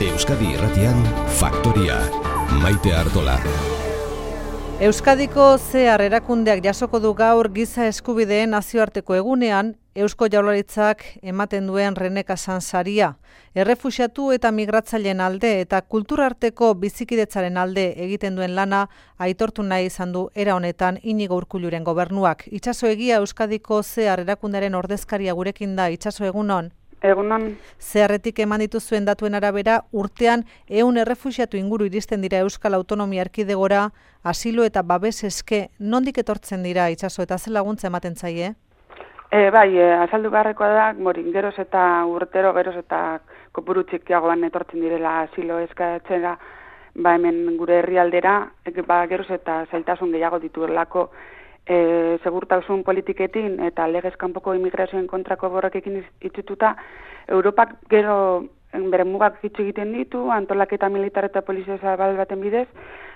Euskadi Irratian, Faktoria, Maite Artola. Euskadiko zehar erakundeak jasoko du gaur giza eskubideen nazioarteko egunean Eusko Jaurlaritzak ematen duen Rene Casan saria. Errefuxiatu eta migratzaileen alde eta kulturarteko bizikidetzaren alde egiten duen lana aitortu nahi izan du era honetan Inigo Urkulluren gobernuak. Itxaso Egia Euskadiko zehar erakundearen ordezkaria gurekin da. Itxaso, egunon. Egunon. Zeharretik eman dituzuen datuen arabera, urtean 100 errefuxiatu inguru iristen dira Euskal Autonomia Erkidegora, asilo eta babes eske, nondik etortzen dira, Itxaso, eta ze laguntza ematen zaie? Azaldu beharrekoa da, geroz eta urtero, geroz eta kopuru txikiagoan etortzen direla asilo eskatzera, hemen gure herrialdera, geroz eta zailtasun gehiago dituelako segurtasun politiketin eta legez kanpoko immigrazioen kontrako borrokekin itxituta, Europak gero bere mugak itxi egiten ditu, antolaketa militar eta polizia zabal baten bidez,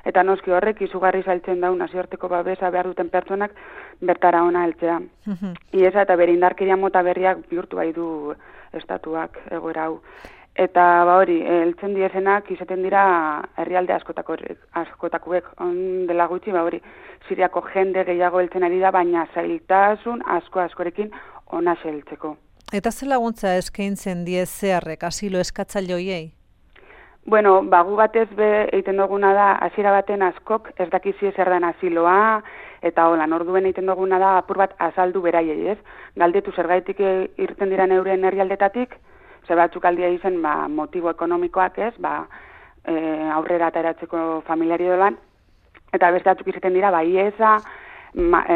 eta noski horrek izugarri zailtzen dau nazioarteko babesa behar duten pertsonak bertara ona heltzea. Iesa eta bere indarkeria mota berriak bihurtu bai du estatuak egoera hau. Eta heltzen diezenak izaten dira herrialde askotakoek dela gutxi, Siriako jende gehiago heltzen ari da, baina zailtasun askorekin ona heltzeko. Eta ze laguntza eskaintzen die zeharrek asilo eskatzaile hoiei? Gu batez egiten duguna da, hasiera baten askok ez dakizie zer den asiloa, eta orduen egiten duguna da apur bat azaldu beraiei, ez? Galdetu zergaitik irten dira euren herrialdetatik, ze batzuk aldia izen motibo ekonomikoak, ez? Aurrera ateratzeko familiari dolan, eta beste batzuk izaten dira, iesa,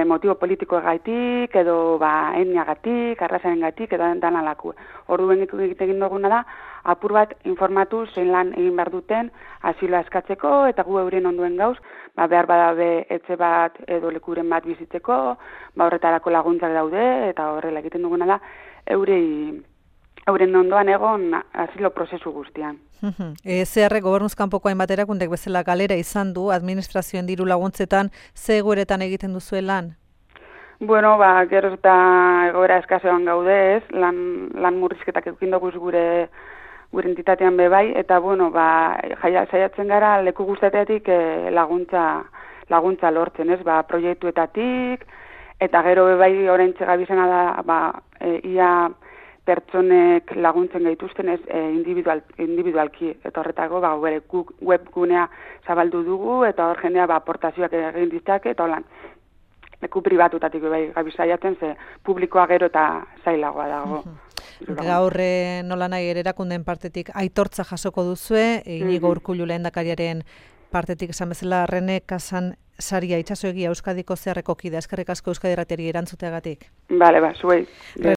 motibo politikoegaitik, edo etniagatik, arrazarengatik, edo danalaku. Orduen egiten duguna da, apur bat informatu zein lan egin behar duten asiloa eskatzeko, eta gu euren onduen gauz, behar badabe etxe bat edo lekuren bat bizitzeko, horretarako laguntzak daude, eta horrela egiten duguna da, euren ondoan egon asilo prozesu guztian. Zeharrek gobernuz kanpoko hainbat erakundek bezala galera izan du, administrazioen diru laguntzetan, ze egoeretan egiten duzue lan? Geroz eta egoera eskasean gaude, ez? Lan murrizketak edukin dugu gure entitatean bebai, eta saiatzen gara leku guztateatik laguntza lortzen, ez? Proiektuetatik, eta gero bebai oraintxe gabizena da, ia pertsonek laguntzen gaituzten ez individualki, eta horretako webgunea zabaldu dugu, eta hor jendea aportazioak egin ditzake, eta holan leku pribatutatik gabizaiatzen, ze publikoa gero eta zailagoa dago. Gaur nola nahi erakundeen partetik aitortza jasoko duzue, Inigo Urkullu lehendakariaren partetik esan bezala Rene Casan saria. Itxaso Egia Euskadiko zeharreko kidea, eskerrik asko Euskadi Irratiari erantzuteagatik. Zuei.